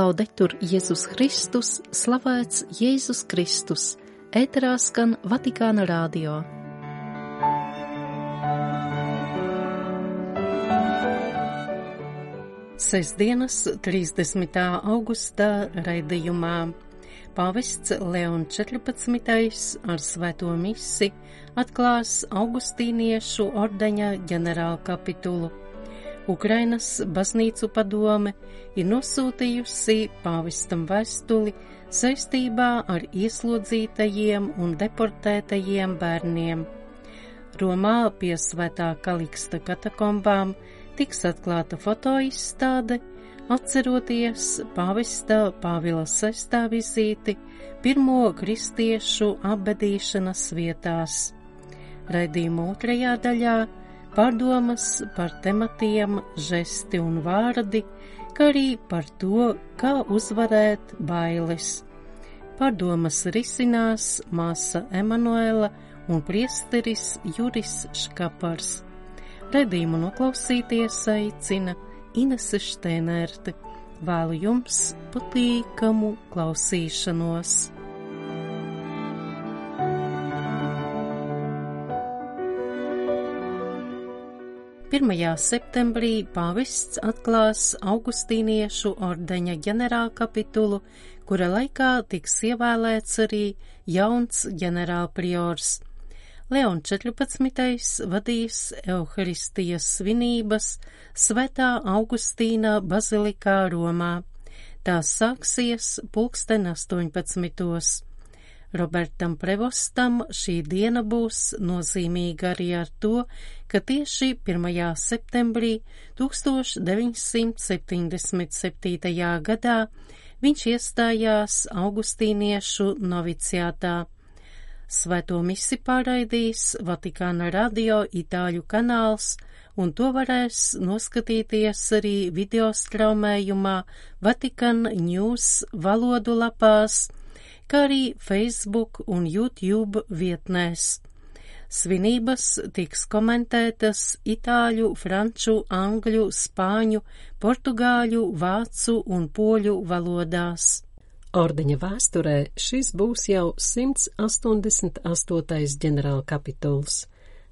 Laudetur Jēzus Kristus, slavēts Jēzus Kristus, ēterā skan Vatikāna radio. Sestdienas 30. augustā raidījumā pāvests Leons 14. ar svēto misi atklās augustīniešu ordeņa ģenerālkapitulu. Ukrainas baznīcu padome ir nosūtījusi pāvestam vēstuli saistībā ar ieslodzītajiem un deportētajiem bērniem. Romā pie Svētā Kaliksta katakombām tiks atklāta fotoizstāde, atceroties pāvesta Pāvila VI vizīti pirmo kristiešu apbedīšanas vietās. Raidījuma otrajā daļā pārdomas par tematiem žesti un vārdi, kā arī par to, kā uzvarēt bailes. Pārdomas risinās māsa Emanuela un priesteris Juris Škapars. Raidījumu noklausīties aicina Inese Štēnerte. Vēlu jums patīkamu klausīšanos. 1. septembrī pāvests atklās augustīniešu ordeņa ģenerālkapitulu, kura laikā tiks ievēlēts arī jauns ģenerālpriors. Leons 14. vadīs Euharistijas svinības Svētā Augustīna bazilikā Romā. Tās sāksies 18. Robertam Prevostam šī diena būs nozīmīga arī ar to, ka tieši 1. septembrī 1977. gadā viņš iestājās augustīniešu noviciātā. Svēto misi pārraidīs Vatikāna radio itāļu kanāls, un to varēs noskatīties arī videostraumējumā Vatikan News valodu lapās, kā arī Facebook un YouTube vietnēs. Svinības tiks komentētas itāļu, franču, angļu, spāņu, portugāļu, vācu un poļu valodās. Ordeņa vēsturē šis būs jau 188. ģenerālkapituls.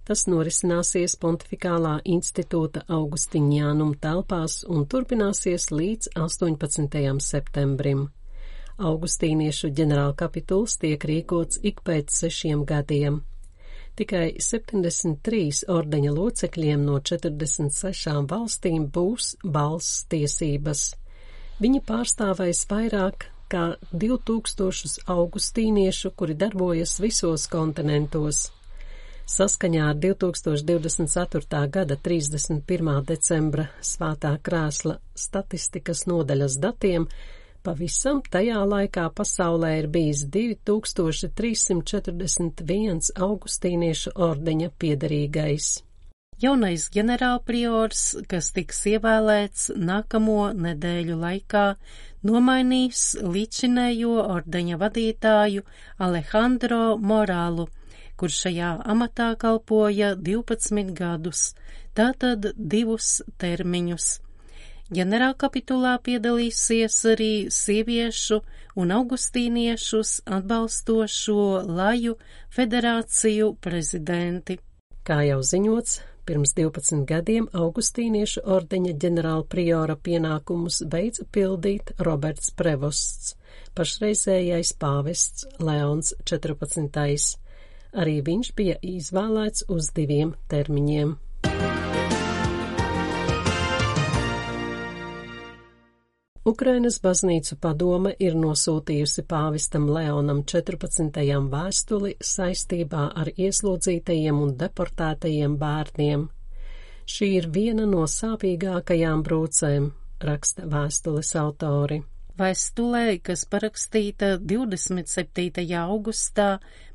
Tas norisināsies Pontifikālā institūta Augustiņānum telpās un turpināsies līdz 18. septembrim. Augustīniešu ģenerālkapituls tiek rīkots ik pēc 6 gadiem. Tikai 73 ordeņa locekļiem no 46 valstīm būs balss tiesības. Viņi pārstāvēs vairāk kā 2000 augustīniešu, kuri darbojas visos kontinentos. Saskaņā ar 2024. gada 31. decembra Svētā krēsla statistikas nodaļas datiem pavisam tajā laikā pasaulē ir bijis 2341 augustīniešu ordeņa piederīgais. Jaunais ģenerālpriors, kas tiks ievēlēts nākamo nedēļu laikā, nomainīs līdzinējo ordeņa vadītāju Alejandro Morālu, kurš šajā amatā kalpoja 12 gadus, tātad 2 termiņus. Ģenerālkapitulā piedalīsies arī sieviešu un augustīniešus atbalstošo laju federāciju prezidenti. Kā jau ziņots, pirms 12 gadiem augustīniešu ordeņa ģenerālpriora pienākumus beidza pildīt Roberts Prevosts, pašreizējais pāvests Leons 14. Arī viņš bija izvēlēts uz 2 termiņiem. Ukrainas baznīcu padome ir nosūtījusi pāvestam Leonam 14. vēstuli saistībā ar ieslodzītajiem un deportētajiem bērniem. Šī ir viena no sāpīgākajām brūcēm, raksta vēstules autori. Vēstulē, kas parakstīta 27. augustā,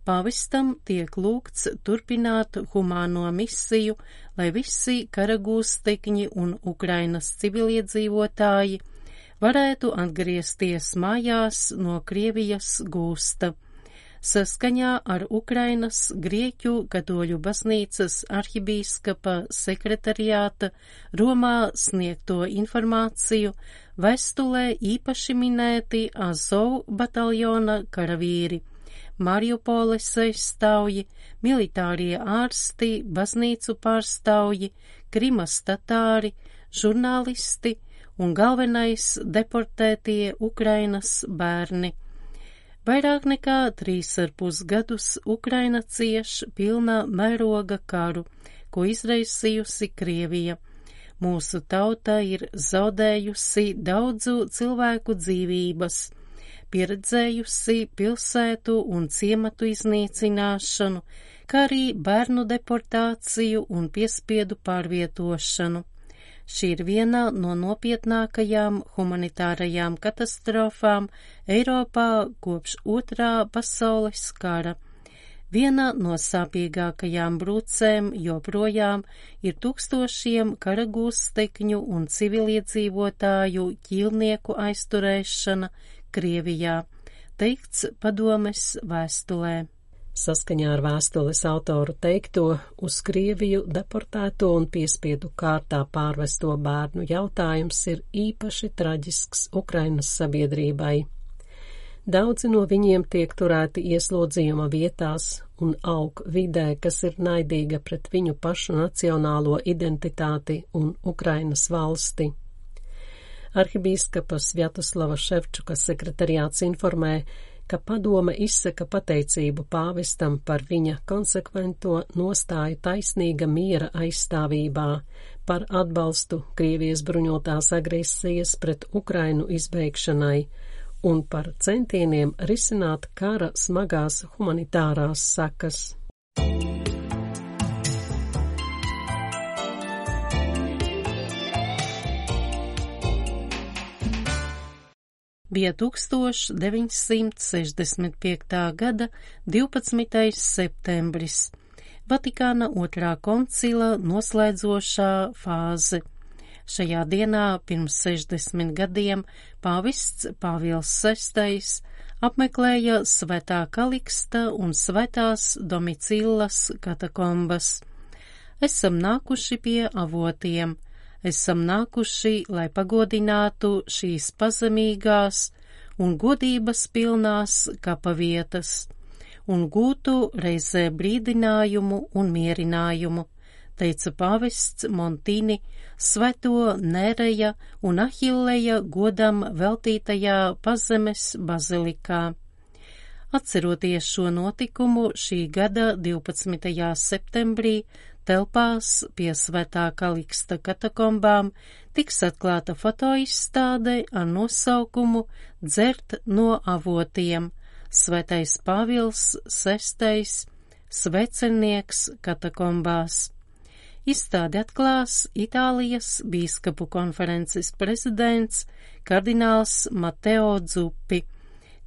pāvestam tiek lūgts turpināt humāno misiju, lai visi karagūstekņi un Ukrainas civiliedzīvotāji varētu atgriezties mājās no Krievijas gūsta. Saskaņā ar Ukrainas Grieķu katoļu baznīcas arhibīskapa sekretariāta Romā sniegto informāciju, Vēstulē īpaši minēti Azov bataljona karavīri, Mariupoles aizstāvji, militārie ārsti, baznīcu pārstāvji, Krimas tatāri, žurnālisti un galvenais deportētie Ukrainas bērni. Vairāk nekā 3,5 gadus Ukraina cieš pilna mēroga karu, ko izraisījusi Krievija. Mūsu tauta ir zaudējusi daudzu cilvēku dzīvības, pieredzējusi pilsētu un ciematu iznīcināšanu, kā arī bērnu deportāciju un piespiedu pārvietošanu. Šī ir viena no nopietnākajām humanitārajām katastrofām Eiropā kopš Otrā pasaules kara. Viena no sāpīgākajām brūcēm joprojām ir tūkstošiem kara gūstekņu un civiliedzīvotāju ķīlnieku aizturēšana Krievijā, teikts Padomes vēstulē. Saskaņā ar vēstules autoru teikto, uz Krieviju deportēto un piespiedu kārtā pārvesto bērnu jautājums ir īpaši traģisks Ukrainas sabiedrībai. Daudzi no viņiem tiek turēti ieslodzījuma vietās un aug vidē, kas ir naidīga pret viņu pašu nacionālo identitāti un Ukrainas valsti. Arhibīskapa Svjatoslava Ševčuka sekretariāts informē, ka padome izsaka pateicību pāvestam par viņa konsekvento nostāju taisnīga miera aizstāvībā, par atbalstu Krievijas bruņotās agresijas pret Ukrainu izbeigšanai un par centieniem risināt kara smagās humanitārās sekas. Bija 1965. gada 12. septembris, Vatikāna otrā koncila noslēdzošā fāze. Šajā dienā pirms 60 gadiem pāvests Pāvils VI apmeklēja Svētā Kaliksta un Svētās Domicillas katakombas. Esam nākuši pie avotiem. Esam nākuši, lai pagodinātu šīs pazemīgās un godības pilnās kapavietas un gūtu reizē brīdinājumu un mierinājumu, teica pāvests Montini Svēto Nereja un Ahilleja godam veltītajā Pazemes bazilikā. Atceroties šo notikumu, šī gada 12. septembrī telpās pie Svētā Kaliksta katakombām tiks atklāta fotoizstāde ar nosaukumu Dzert no avotiem – Svētais Pāvils VI svecenieks katakombās. Izstādi atklās Itālijas bīskapu konferences prezidents kardināls Mateo Zuppi.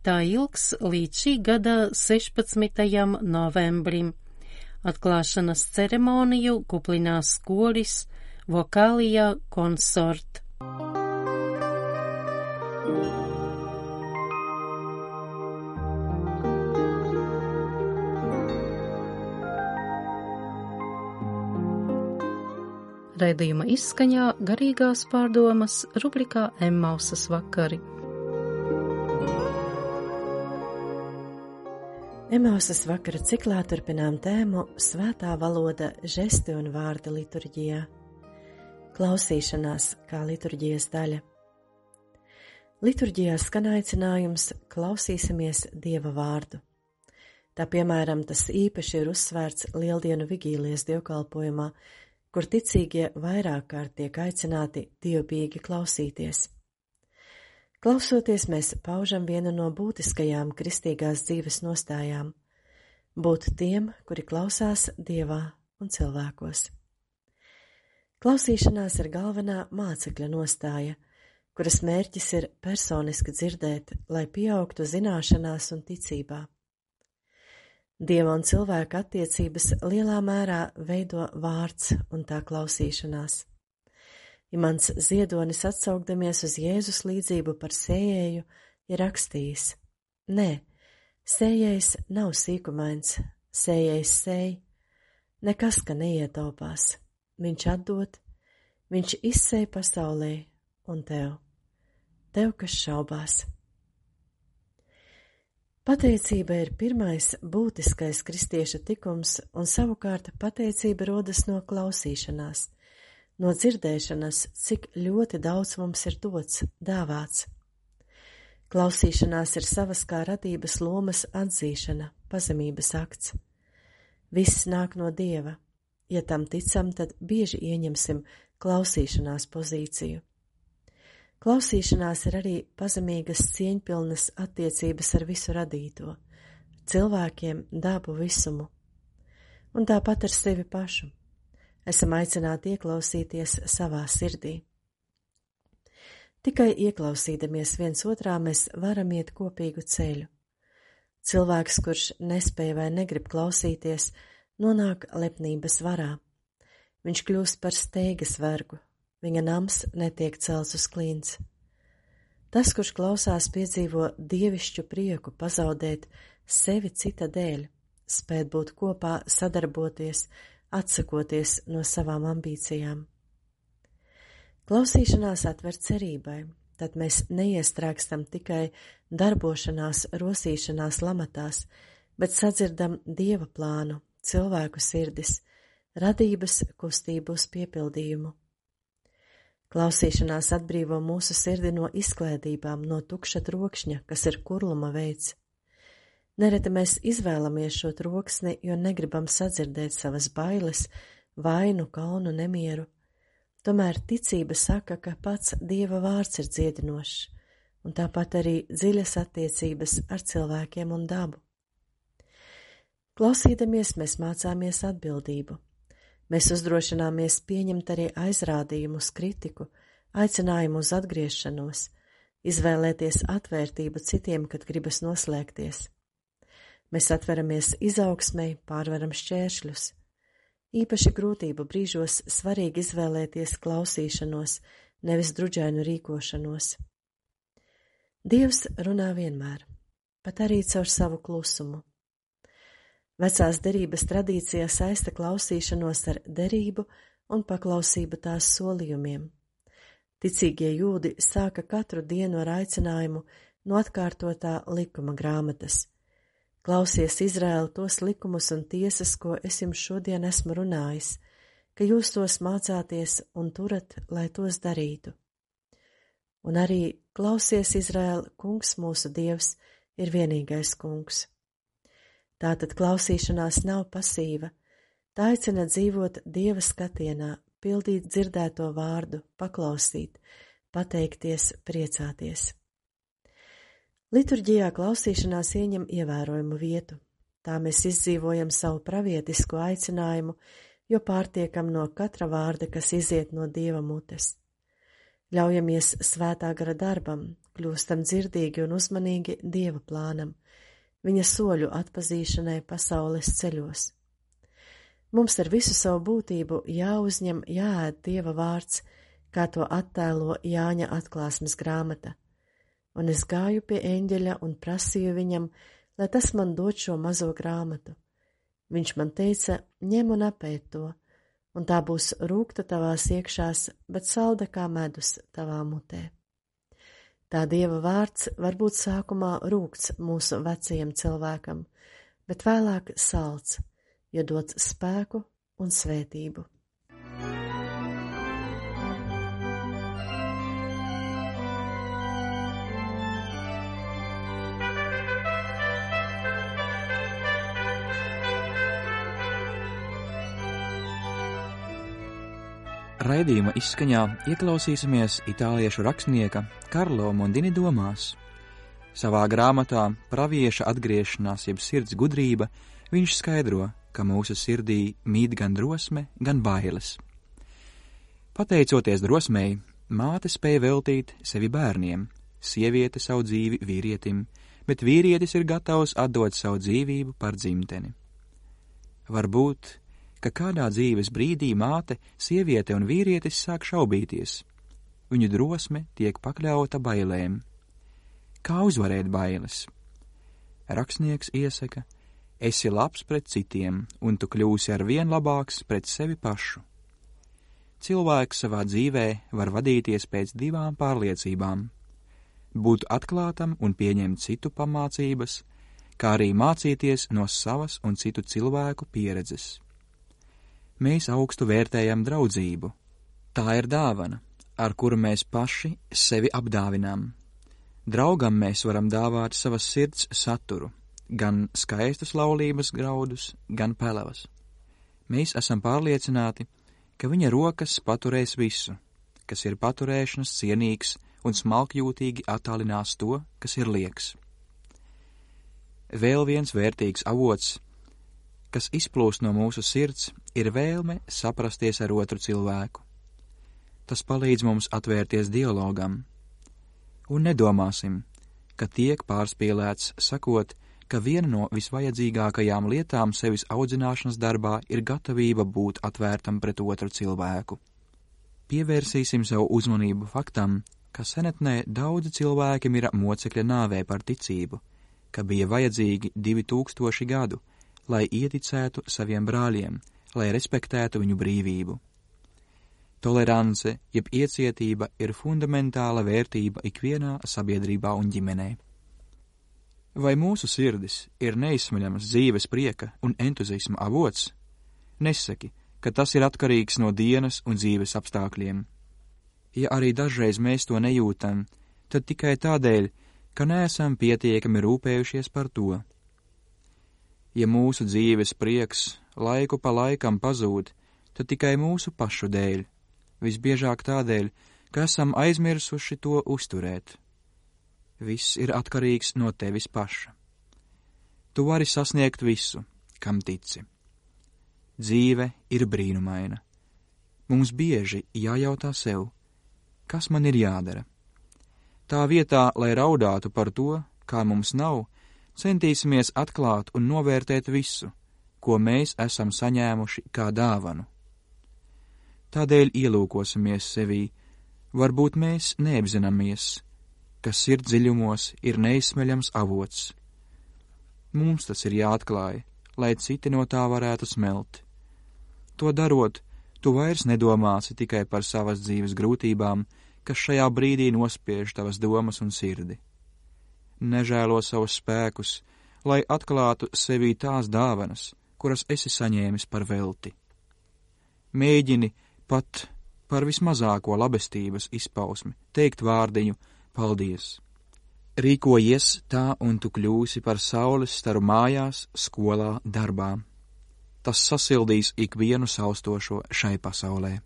Tā ilgs līdz šī gada 16. novembrim. Atklāšanas ceremoniju kuplinās koris Vokālija Consort. Raidījuma izskaņā garīgās pārdomas rubrikā Emmausas vakari. Emmausas vakara ciklā turpinām tēmu Svētā valoda, žesti un vārdi liturģijā. Klausīšanās kā liturģijas daļa. Liturģijā skan aicinājums klausīsimies Dieva vārdu. Tā piemēram tas īpaši ir uzsvērts Lieldienu vigīlijas dievkalpojumā, kur ticīgie vairāk kārt tiek aicināti dievbijīgi klausīties. Klausoties, mēs paužam vienu no būtiskajām kristīgās dzīves nostājām – būt tiem, kuri klausās Dievā un cilvēkos. Klausīšanās ir galvenā mācekļa nostāja, kuras mērķis ir personiski dzirdēt, lai pieaugtu zināšanās un ticībā. Dieva un cilvēka attiecības lielā mērā veido vārds un tā klausīšanās. Imants Ziedonis, atsaukdamies uz Jēzus līdzību par sējēju, ir rakstījis: Nē, sējējs nav sīkumains, sējējs sēj, nekas, ka neietaupās, viņš atdod, viņš izsēj pasaulē un tev. tev, kas šaubās. Pateicība ir pirmais būtiskais kristieša tikums, un savukārt pateicība rodas no klausīšanās, no dzirdēšanas, cik ļoti daudz mums ir dots, dāvāts. Klausīšanās ir savas kā radības lomas atzīšana, pazemības akts. Viss nāk no Dieva. Ja tam ticam, tad bieži ieņemsim klausīšanās pozīciju. Klausīšanās ir arī pazemīgas cieņpilnas attiecības ar visu radīto, cilvēkiem, dabu, visumu. Un tāpat ar sevi pašu. Esam aicināti ieklausīties savā sirdī. Tikai ieklausīdamies viens otrā mēs varam iet kopīgu ceļu. Cilvēks, kurš nespēj vai negrib klausīties, nonāk lepnības varā. Viņš kļūst par steigas vergu, viņa nams netiek celts uz klints. Tas, kurš klausās, piedzīvo dievišķu prieku pazaudēt sevi cita dēļ, spēt būt kopā, sadarboties, atsakoties no savām ambīcijām. Klausīšanās atver cerībai, tad mēs neiestrēgstam tikai darbošanās, rosīšanās lamatās, bet sadzirdam Dieva plānu, cilvēku sirdis, radības kustību uz piepildījumu. Klausīšanās atbrīvo mūsu sirdi no izklēdībām, no tukša trokšņa, kas ir kurluma veids. Nereti mēs izvēlamies šo troksni, jo negribam sadzirdēt savas bailes, vainu, kaunu, nemieru. Tomēr ticība saka, ka pats Dieva vārds ir dziedinošs, un tāpat arī dziļas attiecības ar cilvēkiem un dabu. Klausīdamies, mēs mācāmies atbildību. Mēs uzdrošināmies pieņemt arī aizrādījumus, kritiku, aicinājumu uz atgriešanos, izvēlēties atvērtību citiem, kad gribas noslēgties. Mēs atveramies izaugsmei, pārvaram šķēršļus. Īpaši grūtību brīžos svarīgi izvēlēties klausīšanos, nevis druģainu rīkošanos. Dievs runā vienmēr, pat arī caur savu klusumu. Vecās derības tradīcijā saista klausīšanos ar derību un paklausību tās solījumiem. Ticīgie jūdi sāka katru dienu ar aicinājumu no atkārtotā likuma grāmatas. Klausies, Izraēl, tos likumus un tiesas, ko es jums šodien esmu runājis, ka jūs tos mācāties un turat, lai tos darītu. Un arī klausies, Izraēl, kungs mūsu Dievs ir vienīgais kungs. Tātad klausīšanās nav pasīva, tā aicina dzīvot Dieva skatienā, pildīt dzirdēto vārdu, paklausīt, pateikties, priecāties. Liturģijā klausīšanās ieņem ievērojumu vietu. Tā mēs izdzīvojam savu pravietisko aicinājumu, jo pārtiekam no katra vārda, kas iziet no Dieva mutes. Ļaujamies svētā gara darbam, kļūstam dzirdīgi un uzmanīgi Dieva plānam, viņa soļu atpazīšanai pasaules ceļos. Mums ar visu savu būtību jāuzņem, jāēd Dieva vārds, kā to attēlo Jāņa atklāsmes grāmata. Un es gāju pie eņģeļa un prasīju viņam, lai tas man dod šo mazo grāmatu. Viņš man teica, ņem un apēd to, un tā būs rūgta tavās iekšās, bet salda kā medus tavā mutē. Tā Dieva vārds var būt sākumā rūgts mūsu vecajam cilvēkam, bet vēlāk salds, jo dots spēku un svētību. Raidījuma izskaņā ieklausīsimies itāliešu rakstnieka Karlo Mondini domās. Savā grāmatā Pravieša atgriešanās jeb sirds gudrība viņš skaidro, ka mūsu sirdī mīt gan drosme, gan bailes. Pateicoties drosmei, māte spēja veltīt sevi bērniem, sieviete savu dzīvi vīrietim, bet vīrietis ir gatavs atdot savu dzīvību par dzimteni. Varbūt, ka kādā dzīves brīdī māte, sieviete un vīrietis sāk šaubīties. Viņu drosme tiek pakļauta bailēm. Kā uzvarēt bailes? Rakstnieks iesaka, esi labs pret citiem, un tu kļūsi ar vien labāks pret sevi pašu. Cilvēks savā dzīvē var vadīties pēc divām pārliecībām. būt atklātam un pieņemt citu pamācības, kā arī mācīties no savas un citu cilvēku pieredzes. Mēs augstu vērtējam draudzību. Tā ir dāvana, ar kuru mēs paši sevi apdāvinām. Draugam mēs varam dāvāt savas sirds saturu, gan skaistus laulības graudus, gan pelavas. Mēs esam pārliecināti, ka viņa rokas paturēs visu, kas ir paturēšanas cienīgs un smalkjūtīgi attālinās to, kas ir lieks. Vēl viens vērtīgs avots, kas izplūst no mūsu sirds, ir vēlme saprasties ar otru cilvēku. Tas palīdz mums atvērties dialogam. Un nedomāsim, ka tiek pārspīlēts sakot, ka viena no visvajadzīgākajām lietām sevis audzināšanas darbā ir gatavība būt atvērtam pret otru cilvēku. Pievērsīsim savu uzmanību faktam, ka senatnē daudzi cilvēki mira mocekļa nāvē par ticību, ka bija vajadzīgi 2000 gadu, lai ieticētu saviem brāļiem, lai respektētu viņu brīvību. Tolerance, jeb iecietība ir fundamentāla vērtība ikvienā sabiedrībā un ģimenē. Vai mūsu sirdis ir neizsmeļamas dzīves prieka un entuziasma avots? Nesaki, ka tas ir atkarīgs no dienas un dzīves apstākļiem. Ja arī dažreiz mēs to nejūtam, tad tikai tādēļ, ka neesam pietiekami rūpējušies par to. Ja mūsu dzīves prieks laiku pa laikam pazūd, tad tikai mūsu pašu dēļ, visbiežāk tādēļ, ka esam aizmirsuši to uzturēt. Viss ir atkarīgs no tevis paša. Tu vari sasniegt visu, kam tici. Dzīve ir brīnumaina. Mums bieži jājautā sev, kas man ir jādara. Tā vietā, lai raudātu par to, kā mums nav, centīsimies atklāt un novērtēt visu, ko mēs esam saņēmuši kā dāvanu. Tādēļ ielūkosimies sevī, varbūt mēs neapzināmies, ka sirdsdziļumos ir neizsmeļams avots. Mums tas ir jāatklāj, lai citi no tā varētu smelt. To darot, tu vairs nedomāsi tikai par savas dzīves grūtībām, kas šajā brīdī nospiež tavas domas un sirdi. Nežēlo savus spēkus, lai atklātu sevī tās dāvanas, kuras esi saņēmis par velti. Mēģini pat par vismazāko labestības izpausmi teikt vārdiņu paldies. Rīkojies tā, un tu kļūsi par saules staru mājās, skolā, darbā. Tas sasildīs ikvienu saustošo šai pasaulē.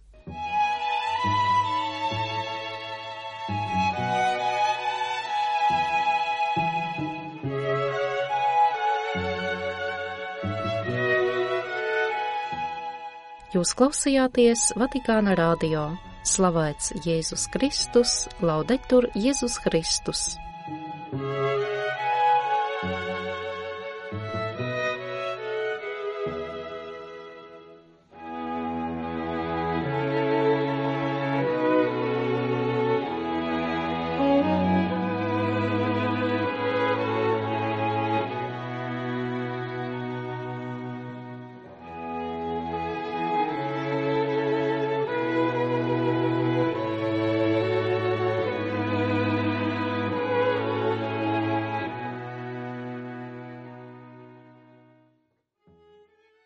Jūs klausījāties Vatikāna radio. Slavēts Jēzus Kristus, laudetur Jēzus Kristus.